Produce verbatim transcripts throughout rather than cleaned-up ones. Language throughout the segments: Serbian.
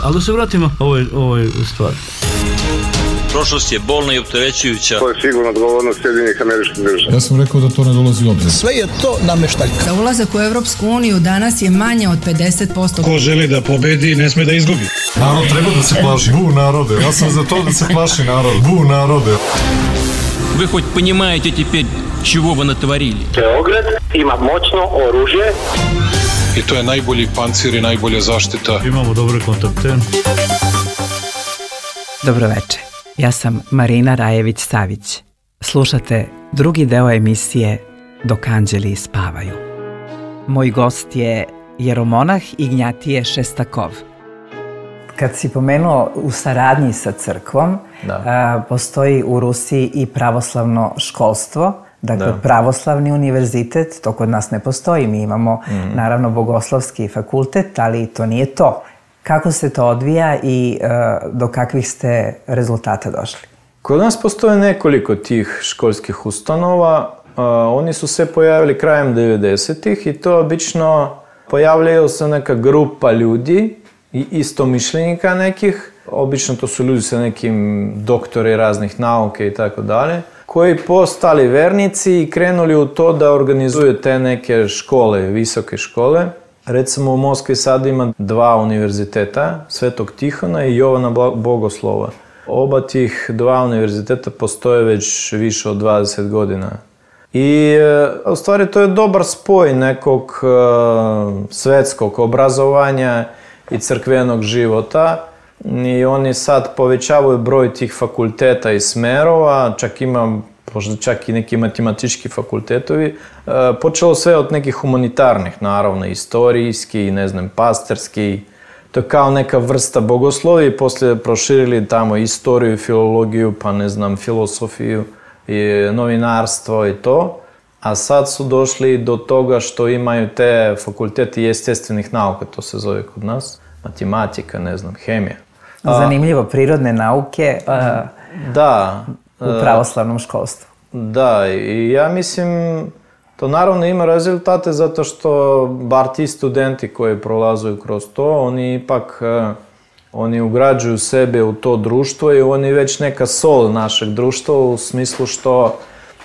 Ali da se vratimo ovoj, ovoj stvari. Prošlost je bolna i opterećujuća. To je sigurno odgovornost Sjedinjenih Američkih Država. Ja sam rekao da to ne dolazi u obzir. Sve je to nameštaljka. Za ulazak u Evropsku uniju danas je manje od pedeset posto. Ko želi da pobedi, ne sme da izgubi. Narod treba da se plaši. Bu narode. Ja sam za to da se plaši narod. Bu narode. Вы хоть понимаете теперь, чего вы натворили? Beograd ima moćno oružje. I to je najbolji pancir i najbolja zaštita. Imamo dobre kontakte. Dobro večer. Ja sam Marina Rajević-Savić. Slušate drugi deo emisije Dok anđeli spavaju. Moj gost je jeromonah Ignjatije Šestakov. Kad si pomenuo u saradnji sa crkvom, a, postoji u Rusiji i pravoslavno školstvo, dakle da. Pravoslavni univerzitet, to kod nas ne postoji, mi imamo mm. naravno bogoslovski fakultet, ali to nije to. Kako se to odvija i uh, do kakvih ste rezultata došli? Kod nas postoje nekoliko tih školskih ustanova. Uh, oni su se pojavili krajem devedesetih i to obično pojavljaju se neka grupa ljudi i istomišljenika nekih. Obično to su ljudi sa nekim doktori raznih nauke i tako dalje, koji postali vernici i krenuli u to da organizuju te neke škole, visoke škole. Recimo u Moskvi sad ima dva univerziteta, Svetog Tihona i Jovana Bogoslova. Oba tih dva univerziteta postoje već više od dvadeset godina. I u stvari to je dobar spoj nekog svetskog obrazovanja i crkvenog života. I oni sad povećavaju broj tih fakulteta i smerova, čak ima možda čak i neki matematički fakultetovi. Počelo sve od nekih humanitarnih, naravno, istorijski, ne znam, pastorski. To je kao neka vrsta bogoslovija i poslije proširili tamo istoriju, filologiju, pa ne znam, filosofiju i novinarstvo i to. A sad su došli do toga što imaju te fakulteti естественnih nauka, to se zove kod nas. Matematika, ne znam, hemija. Zanimljivo, prirodne nauke a, da, u pravoslavnom školstvu. Da, i ja mislim, to naravno ima rezultate zato što bar ti studenti koji prolazuju kroz to, oni ipak oni ugrađuju sebe u to društvo i oni već neka sol našeg društva u smislu što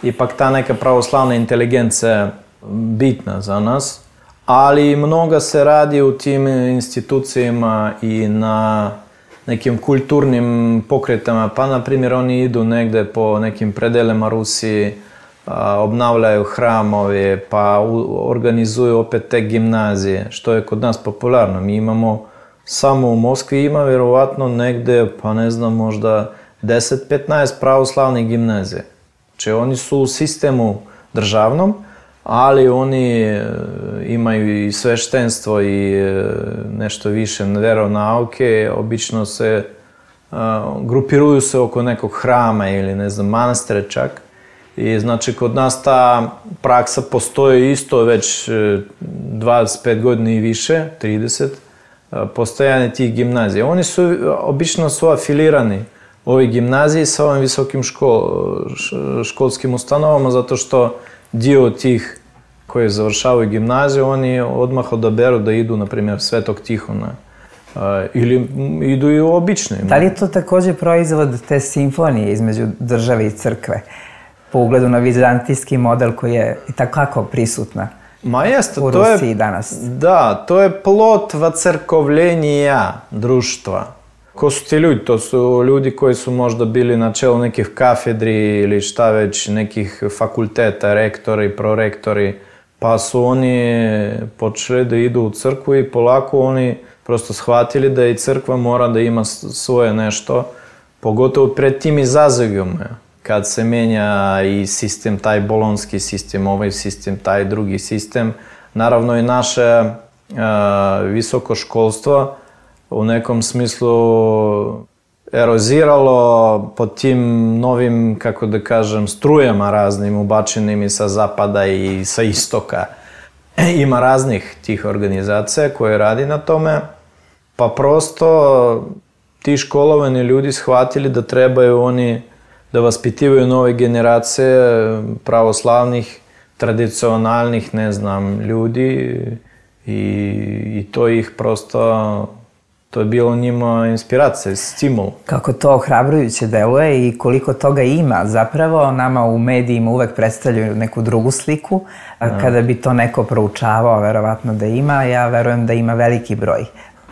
ipak ta neka pravoslavna inteligencija bitna za nas, ali mnogo se radi u tim institucijama i na nekim kulturnim pokretama, pa na primjer oni idu negde po nekim predelima Rusiji, obnavljaju hramove, pa organizuju opet te gimnazije, što je kod nas popularno. Mi imamo, samo u Moskvi ima vjerovatno negde, pa ne znam, možda deset do petnaest pravoslavnih gimnazije. Znači oni su u sistemu državnom, ali oni imaju i sveštenstvo i nešto više veronauke, obično se grupiruju se oko nekog hrama ili ne znam, manastira čak. I znači kod nas ta praksa postoji isto već dvadeset pet godina i više, trideset, postojanje tih gimnazija. Oni su, obično su afilirani ovi gimnaziji sa ovim visokim škol, školskim ustanovama, zato što dio tih koji završavaju gimnaziju, oni odmah odaberu da idu, na primjer, Svetog Tihona. Uh, ili idu i u obične. Da li je to također proizvod te simfonije između države i crkve? Po ugledu na vizantijski model koji je i takako prisutna Ma jeste, u to Rusiji je, danas. Da, to je plod vacrkovljenja društva. Ko su ti ljudi? To su ljudi koji su možda bili na čelu nekih kafedri ili šta već, nekih fakulteta, rektori, prorektori, pa su oni počeli da idu u crkvu i polako oni prosto shvatili da i crkva mora da ima svoje nešto, pogotovo pred tim izazovima. Kad se menja i sistem, taj bolonski sistem, ovaj sistem, taj drugi sistem, naravno i naše uh, visoko školstvo u nekom smislu eroziralo pod tim novim, kako da kažem, strujama raznim ubačenim i sa zapada i sa istoka. Ima raznih tih organizacija koje radi na tome, pa prosto ti školovani ljudi shvatili da trebaju oni da vaspitivaju nove generacije pravoslavnih, tradicionalnih, ne znam, ljudi i, i to ih prosto to je bilo njima inspiracija, stimul. Kako to ohrabrujuće deluje i koliko toga ima. Zapravo nama u medijima uvek predstavljaju neku drugu sliku. Kada bi to neko proučavao, verovatno da ima, ja verujem da ima veliki broj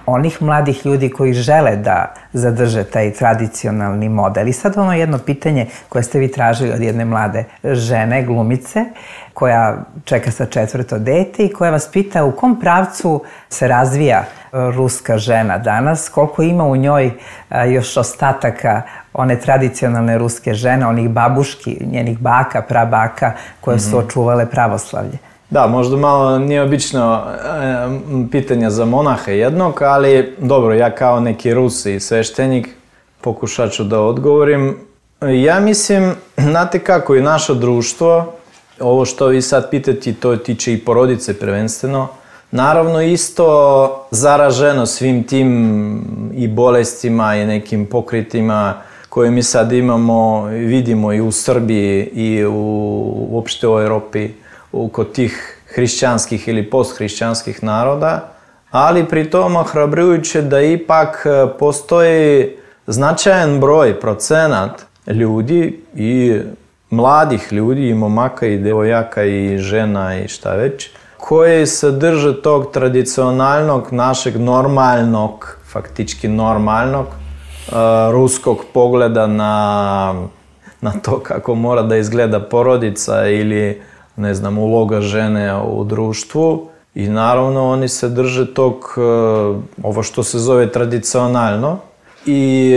onih mladih ljudi koji žele da zadrže taj tradicionalni model. I sad ono jedno pitanje koje ste vi tražili od jedne mlade žene, glumice, koja čeka sa četvrto dete i koja vas pita u kom pravcu se razvija ruska žena danas, koliko ima u njoj još ostataka one tradicionalne ruske žene, onih babuški, njenih baka, prabaka, koje su očuvale pravoslavlje. Da, možda malo neobično e, pitanje za monaha jednog, ali dobro, ja kao neki Rus i sveštenik pokušat ću da odgovorim. Ja mislim, znate kako, i naše društvo, ovo što vi sad pitate, to tiče i porodice prvenstveno, naravno isto zaraženo svim tim i bolestima i nekim pokritima koje mi sad imamo, vidimo i u Srbiji i u, uopšte u Europi, kod tih hrišćanskih ili posthrišćanskih naroda, ali pri tom ohrabrujuće da ipak postoji značajan broj, procenat ljudi i mladih ljudi, i momaka i devojaka i žena i šta već, koji se drže tog tradicionalnog, našeg normalnog, faktički normalnog, uh, ruskog pogleda na, na to kako mora da izgleda porodica ili ne znam, uloga žene u društvu i naravno oni se drže tog, ovo što se zove tradicionalno i,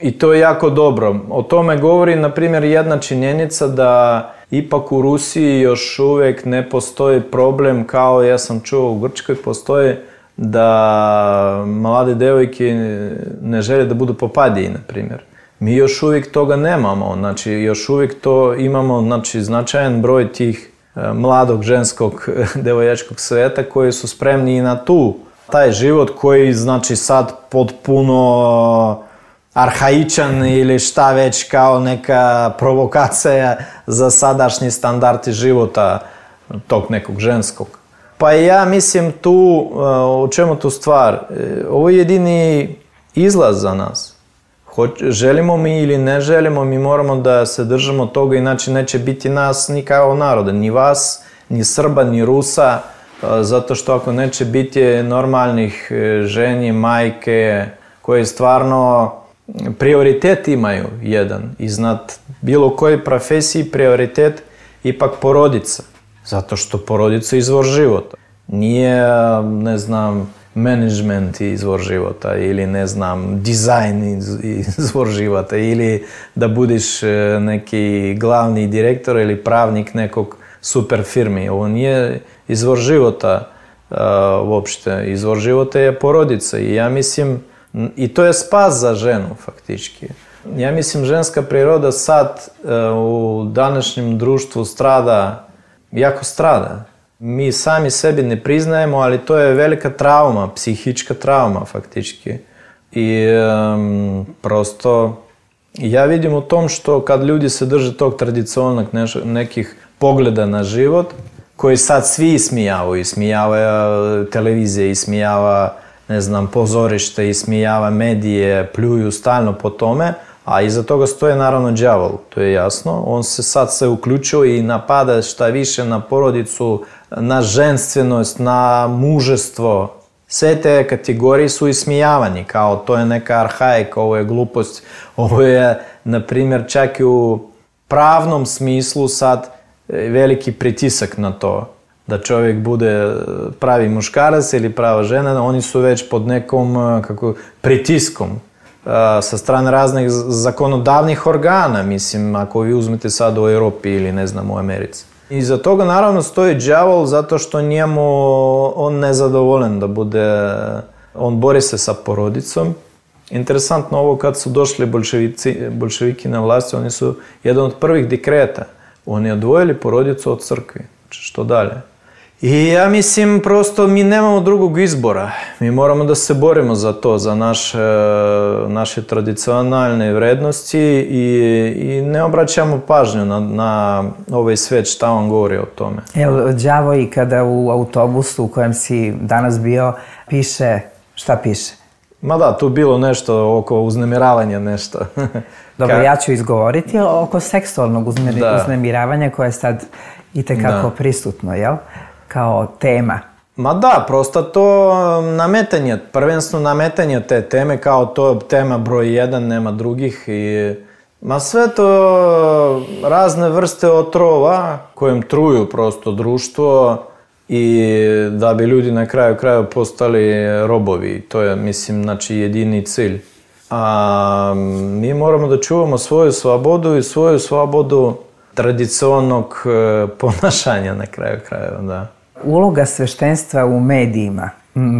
i to je jako dobro. O tome govori, na primjer, jedna činjenica da ipak u Rusiji još uvijek ne postoji problem kao ja sam čuo u Grčkoj postoji da mlade devojke ne žele da budu popadiji, na primjer. Mi još uvijek toga nemamo, znači još uvijek to imamo, znači značajan broj tih mladog ženskog devojačkog sveta koji su spremni i na tu, taj život koji znači sad potpuno arhaičan ili šta već kao neka provokacija za sadašnji standardi života tog nekog ženskog. Pa ja mislim tu, o čemu tu stvar, ovo je jedini izlaz za nas. Želimo mi ili ne želimo, mi moramo da se držimo toga, inače neće biti nas ni kao naroda, ni vas, ni Srba, ni Rusa, zato što ako neće biti normalnih ženi, majke, koje stvarno prioritet imaju jedan, iznad bilo koje profesiji prioritet ipak porodica, zato što porodica je izvor života. Nije, ne znam, management izvor života ili ne znam, dizajn izvor života ili da budiš neki glavni direktor ili pravnik nekog super firmi. Ovo nije izvor života uh, uopšte. Izvor života je porodica i ja mislim, i to je spas za ženu faktički. Ja mislim ženska priroda sad uh, u današnjem društvu strada, jako strada. Mi sami sebi ne priznajemo, ali to je velika trauma, psihička trauma faktički. I um, prosto ja vidim u tom što kad ljudi se drže tog tradicionalnog nekih pogleda na život, koji sad svi ismijavaju, ismijava televizije, ismijava, ne znam, pozorište, ismijava medije, pljuju stalno po tome, a iza toga stoje naravno đavol, to je jasno. On se sad se uključio i napada šta više na porodicu, na ženstvenost, na mužestvo. Sve te kategorije su ismijavani, kao to je neka arhaika, ovo je glupost, ovo je, na primjer, čak i u pravnom smislu sad veliki pritisak na to. Da čovjek bude pravi muškarac ili prava žena, oni su već pod nekom kako, pritiskom sa strane raznih zakonodavnih organa, mislim, ako vi uzmete sad u Europi ili ne znam u Americi. Iza toga naravno stoji đavol zato što njemu on nezadovoljen da bude, on bori se sa porodicom. Interesantno ovo kad su došli bolševici, bolševiki na vlasti, oni su jedan od prvih dekreta. Oni odvojili porodicu od crkvi, što dalje. I ja mislim prosto mi nemamo drugog izbora. Mi moramo da se borimo za to, za naše, naše tradicionalne vrednosti i, i ne obraćamo pažnju na, na ovaj svet šta on govori o tome. Evo, đavo i kada u autobusu u kojem si danas bio piše, šta piše? Ma da, tu bilo nešto oko uznemiravanja, nešto. Dobro, Ka... ja ću izgovoriti oko seksualnog uzmir... da. uznemiravanja koje je sad itekako da. prisutno, jel? Kao tema. Ma da, prosto to nametanje, prvenstveno nametanje te teme, kao to tema broj jedan, nema drugih i... Ma sve to razne vrste otrova kojim truju prosto društvo i da bi ljudi na kraju kraju postali robovi. To je, mislim, znači jedini cilj. A mi moramo da čuvamo svoju slobodu i svoju slobodu tradicionalnog ponašanja na kraju krajeva, da. Uloga sveštenstva u medijima.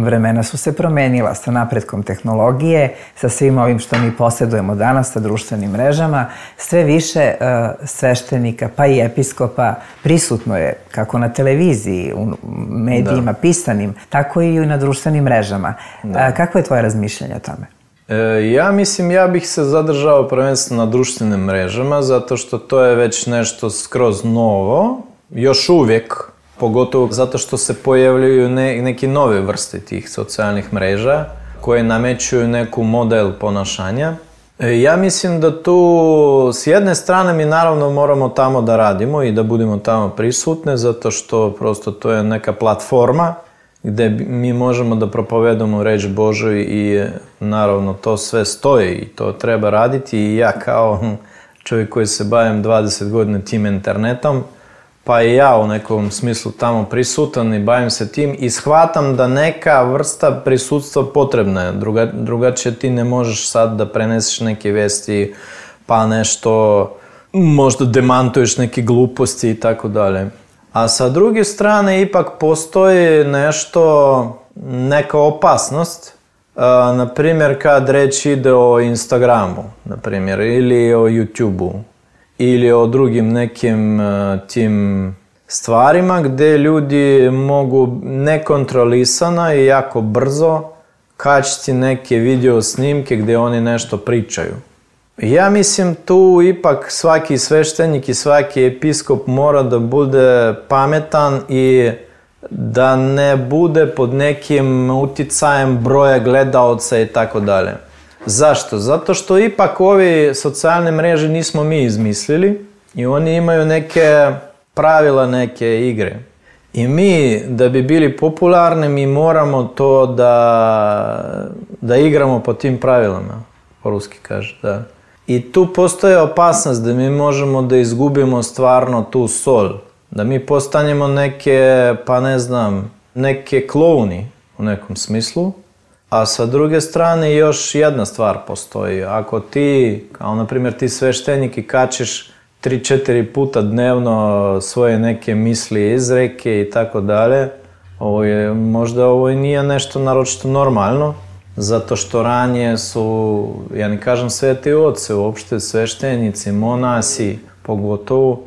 Vremena su se promenila sa napretkom tehnologije, sa svim ovim što mi posjedujemo danas, sa društvenim mrežama. Sve više uh, sveštenika, pa i episkopa, prisutno je kako na televiziji, u medijima da. pisanim, tako i na društvenim mrežama. Da. Uh, kako je tvoje razmišljanje o tome? E, ja mislim, ja bih se zadržao prvenstveno na društvenim mrežama, zato što to je već nešto skroz novo, još uvijek, pogotovo zato što se pojavljaju ne, neki nove vrste tih socijalnih mreža koje namećuju neku model ponašanja. E, ja mislim da tu s jedne strane mi naravno moramo tamo da radimo i da budemo tamo prisutne, zato što prosto to je neka platforma gde mi možemo da propovedamo reč Božju i naravno to sve stoji i to treba raditi i ja kao čovjek koji se bavim dvadeset godina tim internetom, pa i ja u nekom smislu tamo prisutan i bavim se tim i shvatam da neka vrsta prisutstva potrebna je. Druga, drugačije ti ne možeš sad da preneseš neke vesti, pa nešto, možda demantuješ neke gluposti i tako dalje. A sa druge strane ipak postoji nešto, neka opasnost, a, na primjer kad reč ide o Instagramu, na primjer, ili o YouTubeu, ili o drugim nekim uh, tim stvarima gdje ljudi mogu nekontrolisano i jako brzo kačiti neke video snimke gdje oni nešto pričaju. Ja mislim tu ipak svaki sveštenik i svaki episkop mora da bude pametan i da ne bude pod nekim uticajem broja gledaoca i tako dalje. Zašto? Zato što ipak ovi socijalne mreže nismo mi izmislili i oni imaju neke pravila, neke igre. I mi, da bi bili popularni, mi moramo to da, da igramo po tim pravilama, po ruski kaže, da. I tu postoje opasnost da mi možemo da izgubimo stvarno tu sol, da mi postanemo neke, pa ne znam, neke klouni u nekom smislu. A sa druge strane još jedna stvar postoji. Ako ti, kao na primjer ti sveštenik i kačiš tri četiri puta dnevno svoje neke misli, izreke i tako dalje, ovo je, možda ovo i nije nešto naročito normalno, zato što ranije su, ja ne kažem sveti oci, uopšte sveštenici, monasi, pogotovo,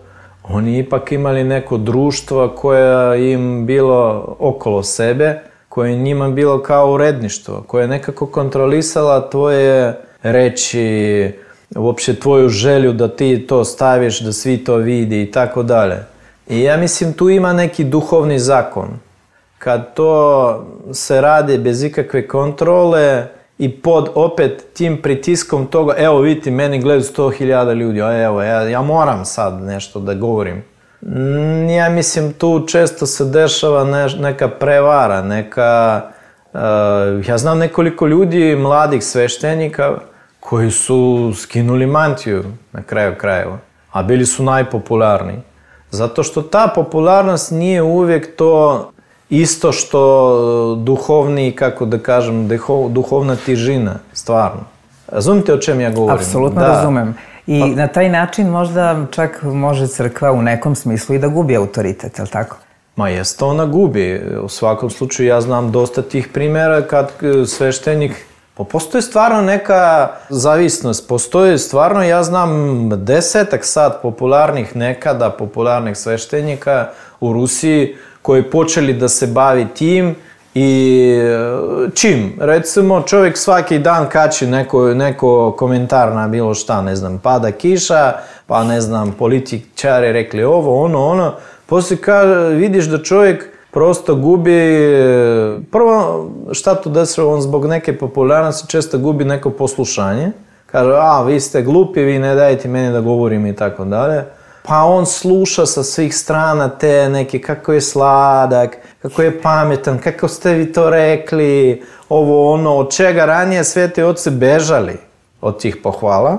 oni ipak imali neko društvo koje im bilo okolo sebe, koje je njima bilo kao uredništvo, koje je nekako kontrolisala tvoje reči, uopće tvoju želju da ti to staviš, da svi to vidi i tako dalje. I ja mislim tu ima neki duhovni zakon. Kad to se radi bez ikakve kontrole i pod opet tim pritiskom toga, evo vidite, meni gledaju sto hiljada ljudi, a evo, ja, ja moram sad nešto da govorim. Ja mislim tu često se dešava ne, neka prevara, neka... Uh, ja znam nekoliko ljudi, mladih sveštenika, koji su skinuli mantiju na kraju krajeva, a bili su najpopularniji. Zato što ta popularnost nije uvijek to isto što duhovni, kako da kažem, duhovna tižina, stvarno. Razumite o čem ja govorim? Apsolutno da. Razumem. I pa, na taj način možda čak može crkva u nekom smislu i da gubi autoritet, je li tako? Ma jeste, ona gubi. U svakom slučaju ja znam dosta tih primjera kad sveštenik... Pa postoji stvarno neka zavisnost. Postoji stvarno, ja znam, desetak sad popularnih nekada, popularnih sveštenika u Rusiji koji počeli da se bavi tim i čim? Recimo čovjek svaki dan kači neko, neko komentar na bilo šta, ne znam, pada kiša, pa ne znam, političari rekli ovo, ono, ono. Poslije ka, vidiš da čovjek prosto gubi, prvo šta to desilo, on zbog neke popularnosti često gubi neko poslušanje. Kaže, a vi ste glupi, vi ne dajete meni da govorim i tako dalje. Pa on sluša sa svih strana te neke, kako je sladak, kako je pametan, kako ste vi to rekli, ovo ono, od čega ranije sveti oci bežali od tih pohvala.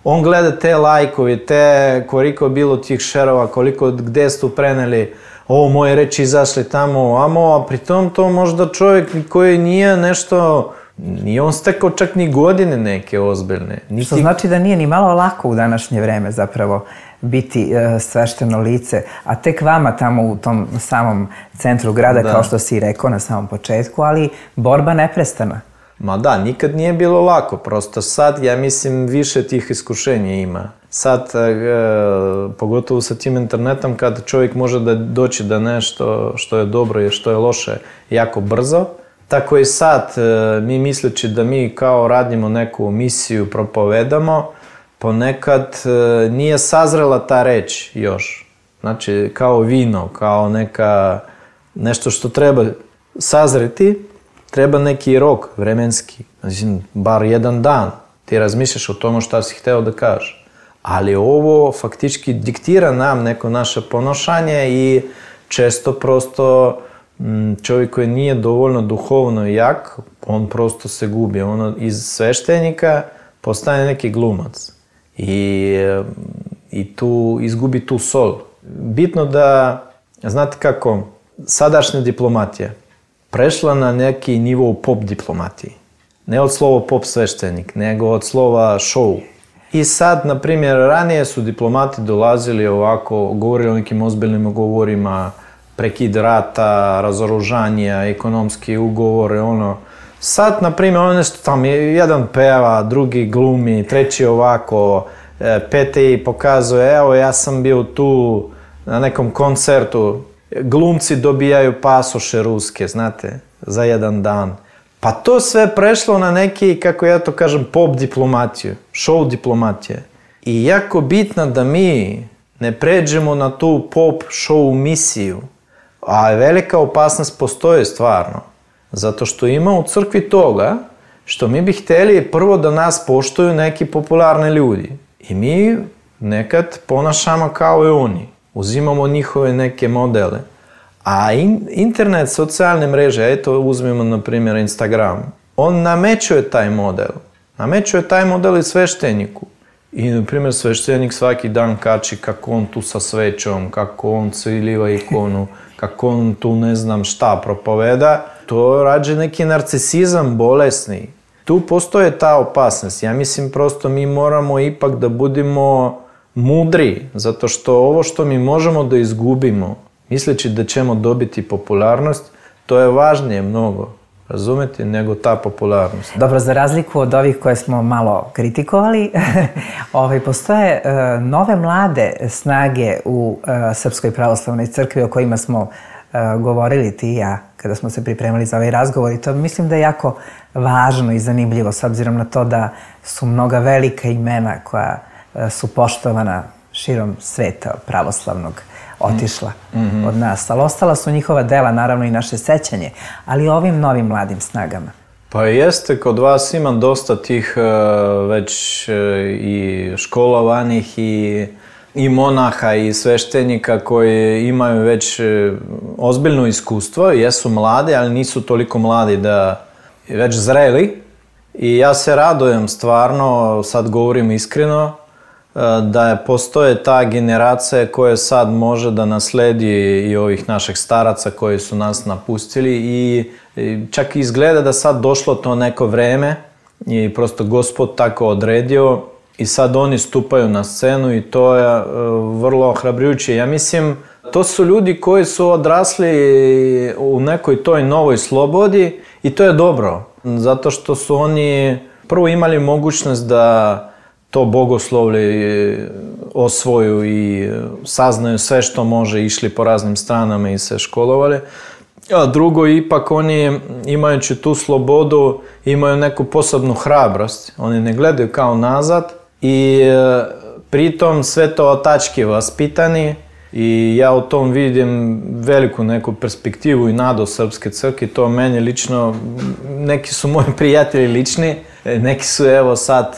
On gleda te lajkovi, te koliko je bilo tih šerova, koliko gde su preneli, ovo moje reči izašli tamo, amo, a pritom to možda čovjek koji nije nešto, nije on stekao čak ni godine neke ozbiljne. Niti... Što znači da nije ni malo lako u današnje vreme zapravo biti e, svešteno lice, a tek vama tamo u tom samom centru grada, da. Kao što si rekao na samom početku, ali borba neprestana. Ma da, nikad nije bilo lako, prosto sad, ja mislim, više tih iskušenja ima. Sad, e, pogotovo sa tim internetom, kad čovjek može da doći da nešto što je dobro i što je loše jako brzo, tako i sad, e, mi misleći da mi kao radimo neku misiju, propovedamo, ponekad e, nije sazrela ta reč još. Znači, kao vino, kao neka, nešto što treba sazreti, treba neki rok vremenski, znači, bar jedan dan. Ti razmišljaš o tomu šta si hteo da kažeš. Ali ovo faktički diktira nam neko naše ponašanje i često prosto čovjek koji nije dovoljno duhovno jak, on prosto se gubi. On iz sveštenika postane neki glumac. I, i tu izgubi tu sol. Bitno da, znate kako, sadašnja diplomatija prešla na neki nivo pop diplomatiji. Ne od slova pop sveštenik, nego od slova show. I sad, na primjer, ranije su diplomati dolazili ovako, govorili o nekim ozbiljnim govorima, prekid rata, razoružanja, ekonomski ugovore, ono. Sad, na primjer, ono nešto tam, jedan peva, drugi glumi, treći ovako, peti pokazuje, evo, ja sam bio tu na nekom koncertu, glumci dobijaju pasoše ruske, znate, za jedan dan. Pa to sve prešlo na neki, kako ja to kažem, pop diplomatiju, show diplomatije. I jako bitno da mi ne pređemo na tu pop show misiju, a velika opasnost postoji stvarno. Zato što ima u crkvi toga što mi bi htjeli prvo da nas poštuju neki popularni ljudi. I mi nekad ponašamo kao i oni. Uzimamo njihove neke modele. A in, internet, socijalne mreže, eto uzmemo na primjer Instagram, on namećuje taj model. Namećuje taj model i svešteniku. I na primjer sveštenik svaki dan kači kako on tu sa svećom, kako on cviliva ikonu, kako on tu ne znam šta propoveda. To rađe neki narcisizam bolesni. Tu postoje ta opasnost. Ja mislim prosto mi moramo ipak da budemo mudri, zato što ovo što mi možemo da izgubimo, misleći da ćemo dobiti popularnost, to je važnije mnogo, razumete, nego ta popularnost. Dobro, za razliku od ovih koje smo malo kritikovali, ovaj, postoje uh, nove mlade snage u uh, Srpskoj pravoslavnoj crkvi o kojima smo uh, govorili ti i ja kada smo se pripremali za ovaj razgovor i to mislim da je jako važno i zanimljivo s obzirom na to da su mnoga velika imena koja uh, su poštovana širom sveta pravoslavnog otišla mm-hmm. od nas, ali ostala su njihova dela, naravno i naše sećanje, ali ovim novim mladim snagama. Pa jeste, kod vas ima dosta tih uh, već uh, i školovanih i, i monaha i sveštenika koji imaju već uh, ozbiljno iskustvo, jesu mladi, ali nisu toliko mladi da već zreli. I ja se radujem stvarno, sad govorim iskreno, da je postoje ta generacija koja sad može da nasledi i ovih naših staraca koji su nas napustili i čak izgleda da sad došlo to neko vreme i prosto Gospod tako odredio i sad oni stupaju na scenu i to je vrlo ohrabrujuće. Ja mislim, to su ljudi koji su odrasli u nekoj toj novoj slobodi i to je dobro, zato što su oni prvo imali mogućnost da to bogoslovlje osvoju i saznaju sve što može, išli po raznim stranama i se školovali. A drugo, ipak oni imajući tu slobodu imaju neku posebnu hrabrost. Oni ne gledaju kao nazad i pritom sve to otački vaspitani I ja u tom vidim veliku neku perspektivu i nadu Srpske crkve. To meni lično, neki su moji prijatelji lični, neki su evo sad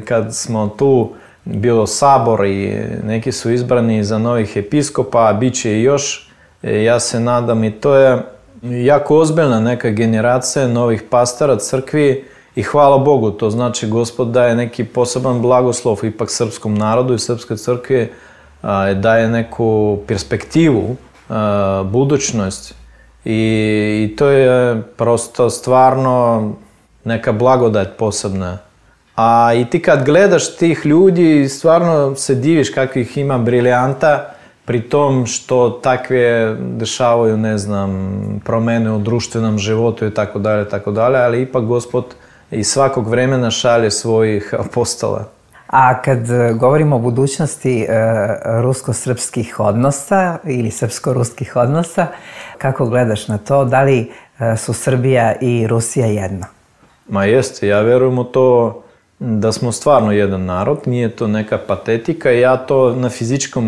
kad smo tu, bilo sabor i neki su izbrani za novih episkopa, a bit će i još. Ja se nadam i to je jako ozbiljna neka generacija novih pastara crkvi i hvala Bogu, to znači Gospod daje neki poseban blagoslov ipak srpskom narodu i Srpskoj crkvi, daje neku perspektivu, budućnost i, i to je prosto stvarno neka blagodat posebna. A i ti kad gledaš tih ljudi, stvarno se diviš kakvih ima briljanta, pri tom što takve dešavaju, ne znam, promene u društvenom životu i tako dalje, tako dalje, ali ipak Gospod iz svakog vremena šalje svojih apostola. A kad govorimo o budućnosti e, rusko-srpskih odnosa ili srpsko-ruskih odnosa, kako gledaš na to? Da li e, su Srbija i Rusija jedno? Ma jeste, ja verujem u to da smo stvarno jedan narod, nije to neka patetika i ja to na fizičkom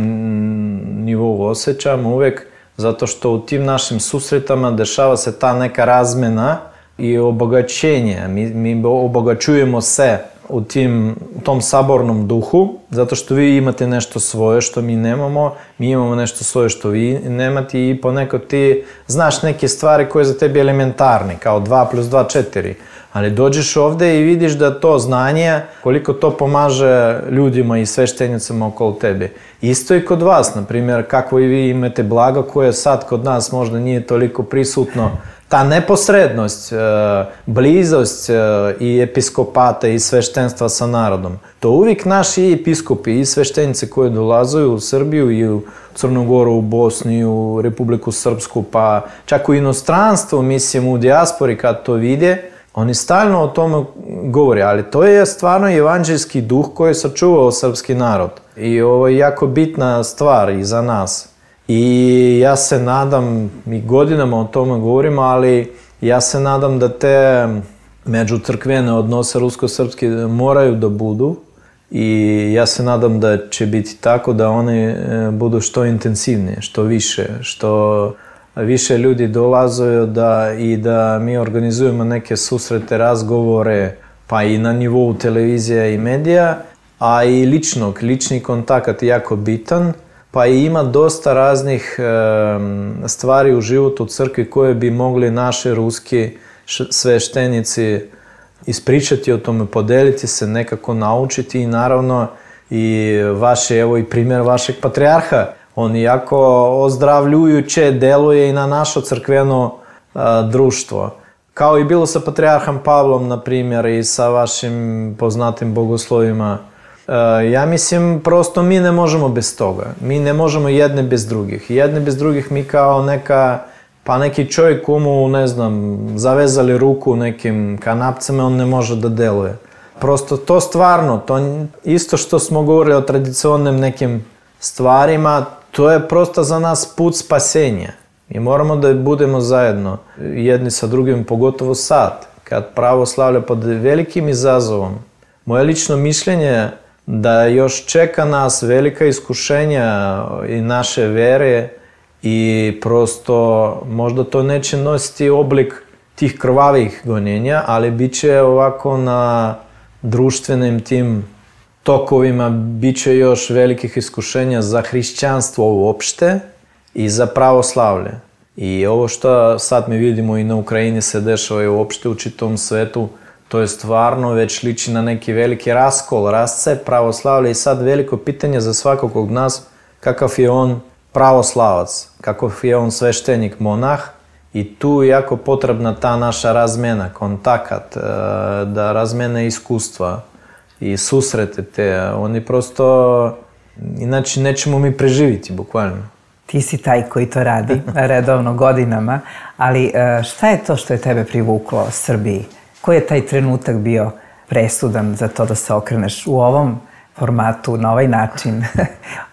nivou osjećam uvek, zato što u tim našim susretama dešava se ta neka razmena i obogaćenje. Mi, mi obogaćujemo se u tim, tom sabornom duhu, zato što vi imate nešto svoje što mi nemamo, mi imamo nešto svoje što vi nemate i ponekad ti znaš neke stvari koje za tebi elementarne, kao dva plus dva, četiri. Ali dođeš ovde i vidiš da to znanje, koliko to pomaže ljudima i sveštenicama okolo tebe. Isto i kod vas, na primjer, kako i vi imate blago koje sad kod nas možda nije toliko prisutno. Ta neposrednost, blizost i episkopata i sveštenstva sa narodom. To uvijek naši episkopi i sveštenice koje dolazuju u Srbiju i u Crnu Goru, u Bosni, u Republiku Srpsku, pa čak u inostranstvu, mislim u dijaspori kad to vide, oni stalno o tome govore, ali to je stvarno evanđeljski duh koji je sačuvao srpski narod. I ovo je jako bitna stvar i za nas. I ja se nadam, mi godinama o tome govorimo, ali ja se nadam da te međucrkvene odnose rusko-srpske moraju da budu i ja se nadam da će biti tako da one budu što intenzivnije, što više, što više ljudi dolaze da, i da mi organizujemo neke susrete, razgovore, pa i na nivou televizije i medija, a i ličnog, lični kontakt je jako bitan. Pa i ima dosta raznih e, stvari u životu crkvi koje bi mogli naši ruski sveštenici ispričati o tome, podeliti se, nekako naučiti i naravno i vaše, evo i primjer vašeg patrijarha. On jako ozdravljujuće deluje i na naše crkveno a, društvo. Kao i bilo sa patrijarhom Pavlom, na primjer, i sa vašim poznatim bogoslovima. Ja mislim, prosto mi ne možemo bez toga. Mi ne možemo jedne bez drugih. Jedne bez drugih mi kao neka, pa neki čovjek komu, ne znam, zavezali ruku nekim kanapcama, on ne može da deluje. Prosto to stvarno, to isto što smo govorili o tradicionalnim nekim stvarima, to je prosto za nas put spasenja. Mi moramo da budemo zajedno, jedni sa drugim, pogotovo sad, kad pravoslavlje pod velikim izazovom. Moje lično mišljenje da još čeka nas velika iskušenja i naše vere i prosto možda to neće nositi oblik tih krvavih gonjenja, ali bit će ovako na društvenim tim tokovima, bit će još velikih iskušenja za hrišćanstvo uopšte i za pravoslavlje. I ovo što sad mi vidimo i na Ukrajini se dešava i uopšte u čitavom svetu, to je stvarno već liči na neki veliki raskol, rascep pravoslavlja i sad veliko pitanje za svakog od nas kakav je on pravoslavac, kakav je on sveštenik, monah i tu je jako potrebna ta naša razmena, kontakat, da razmene iskustva i susrete te. Oni prosto, inače nećemo mi preživiti, bukvalno. Ti si taj koji to radi redovno godinama, ali šta je to što je tebe privuklo Srbiji? Koji je taj trenutak bio presudan za to da se okreneš u ovom formatu, na ovaj način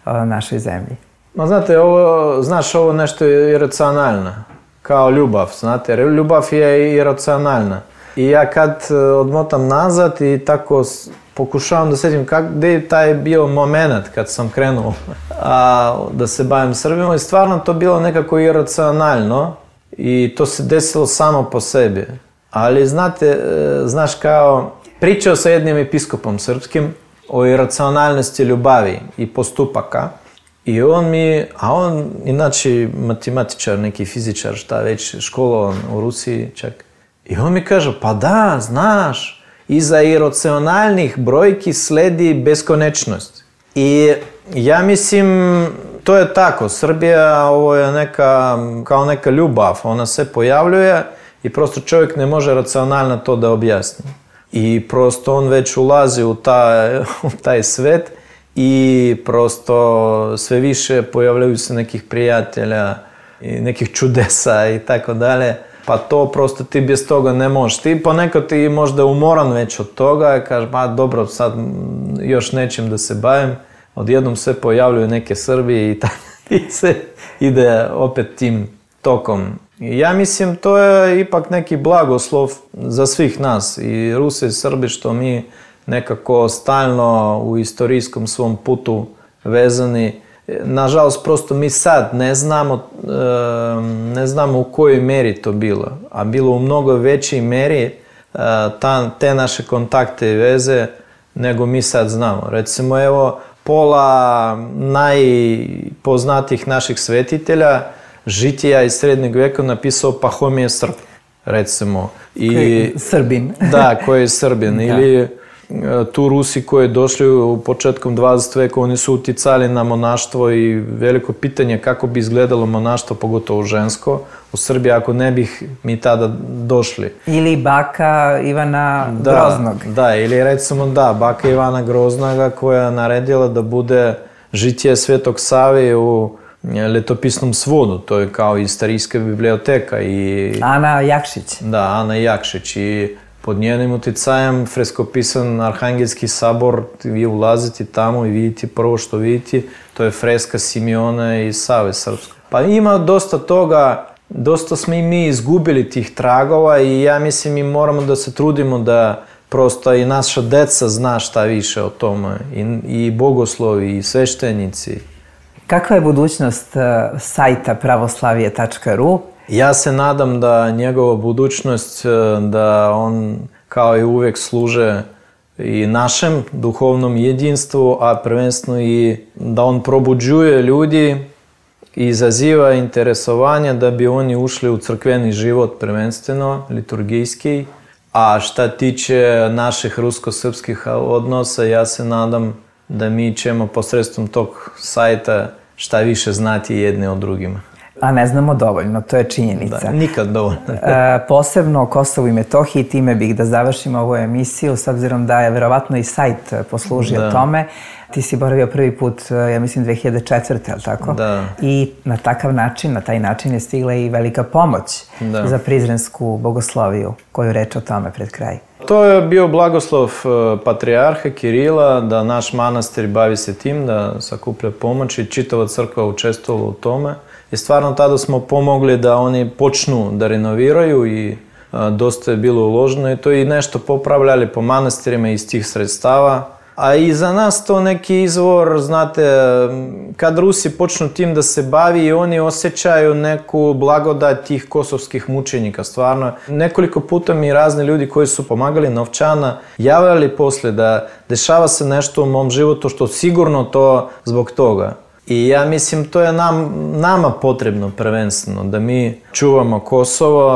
našoj zemlji? Ma znate, ovo, znaš, ovo nešto je iracionalno, kao ljubav, znate, ljubav je iracionalna. I ja kad odmotam nazad i tako pokušavam da setim kak, gde je taj bio moment kad sam krenuo a, da se bavim Srbijom i stvarno to bilo nekako iracionalno i to se desilo samo po sebi. Ali znate, znaš kao, pričao sa jednim episkopom srpskim o iracionalnosti ljubavi i postupaka i on mi, a on inače matematičar, neki fizičar, šta već, školovan u Rusiji čak, i on mi kaže, pa da, znaš, iza iracionalnih brojki sledi beskonečnost. I ja mislim, to je tako, Srbija ovo je neka, kao neka ljubav, ona se pojavljuje i prosto čovjek ne može racionalno to da objasni. I prosto on već ulazi u taj, u taj svet i prosto sve više pojavljaju se nekih prijatelja i nekih čudesa i tako dalje. Pa to prosto ti bez toga ne možeš. Ti ponekad ti možda umoran već od toga i kažeš, pa dobro, sad još nečim da se bavim. Odjednom se pojavljuju neke Srbije i tako i se ide opet tim tokom. I ja mislim, to je ipak neki blagoslov za svih nas, i Ruse i Srbi, što mi nekako stalno u istorijskom svom putu vezani. Nažalost, prosto mi sad ne znamo, ne znamo u kojoj meri to bilo, a bilo u mnogo većoj meri ta, te naše kontakte i veze nego mi sad znamo. Recimo, evo, pola najpoznatijih naših svetitelja žitija iz srednjeg veka napisao Pahomije Srb, recimo. I, koji je Srbin. Da, koji je Srbin. Da. Ili tu Rusi koji došli u početkom dvadesetog veka, oni su uticali na monaštvo i veliko pitanje kako bi izgledalo monaštvo, pogotovo žensko, u Srbiji ako ne bih mi tada došli. Ili baka Ivana da, Groznog. Da, ili recimo da, baka Ivana Groznoga koja je naredila da bude žitije Svetog Save u letopisnom svodu, to je kao istorijska biblioteka. I Ana Jakšić. Da, Ana Jakšić, i pod njenim uticajem freskopisan Arhangelski sabor, vi ulazite tamo i vidite prvo što vidite, to je freska Simeona i Save srpskog. Pa ima dosta toga, dosta smo i mi izgubili tih tragova i ja mislim mi moramo da se trudimo da prosto i naša deca zna šta više o tome, i, i bogoslovi i sveštenici. Kakva je budućnost uh, sajta pravoslavije tačka ru? Ja se nadam da njegova budućnost, da on kao i uvek služe i našem duhovnom jedinstvu, a prvenstveno i da on probuđuje ljudi i izaziva interesovanje da bi oni ušli u crkveni život prvenstveno, liturgijski. A šta tiče naših rusko-srpskih odnosa, ja se nadam da mi ćemo posredstvom tog sajta šta više znati jedni od drugima. A ne znamo dovoljno, to je činjenica. Da, nikad dovoljno. e, posebno o Kosovu i Metohiji, time bih da završimo ovu emisiju, s obzirom da je verovatno i sajt poslužio da. tome. Ti si boravio prvi put, ja mislim, dve hiljade četvrte, ali tako? Da. I na takav način, na taj način je stigla i velika pomoć da. za prizrensku bogosloviju. Koju reč o tome pred kraj? To je bio blagoslov patrijarha Kirila da naš manastir bavi se tim, da sakuplja pomoć, i čitava crkva učestvovala u tome. I stvarno tada smo pomogli da oni počnu da renoviraju i a, dosta je bilo uloženo i to i nešto popravljali po manastirima iz tih sredstava. A i za nas to neki izvor, znate, kad Rusi počnu tim da se bavi i oni osjećaju neku blagodat tih kosovskih mučenika, stvarno. Nekoliko puta mi razni ljudi koji su pomagali novčana javljali posle da dešava se nešto u mom životu što sigurno to zbog toga. I ja mislim, to je nam, nama potrebno prvenstveno, da mi čuvamo Kosovo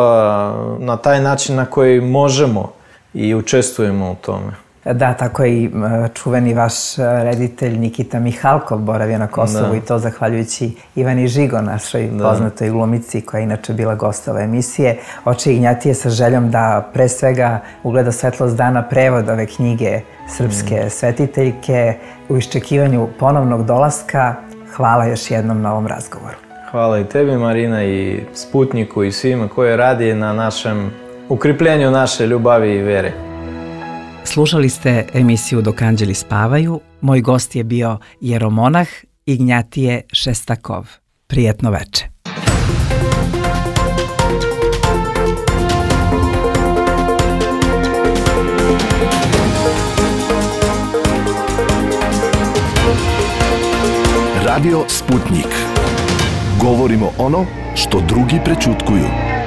na taj način na koji možemo i učestvujemo u tome. Da, tako je i čuveni vaš reditelj Nikita Mihalkov boravio na Kosovu da. i to zahvaljujući Ivani Žigo, našoj da. poznatoj glumici koja je inače bila gostova emisije. Oči Ignjatije sa željom da pre svega ugleda svetlost dana prevod ove knjige srpske mm. svetiteljke u iščekivanju ponovnog dolaska. Hvala još jednom na ovom razgovoru. Hvala i tebi, Marina, i Sputniku i svima koji radi na našem ukripljenju naše ljubavi i vere. Slušali ste emisiju Dok anđeli spavaju. Moj gost je bio jeromonah Ignjatije Šestakov. Prijetno veče. Radio Sputnik. Govorimo ono što drugi prećutkuju.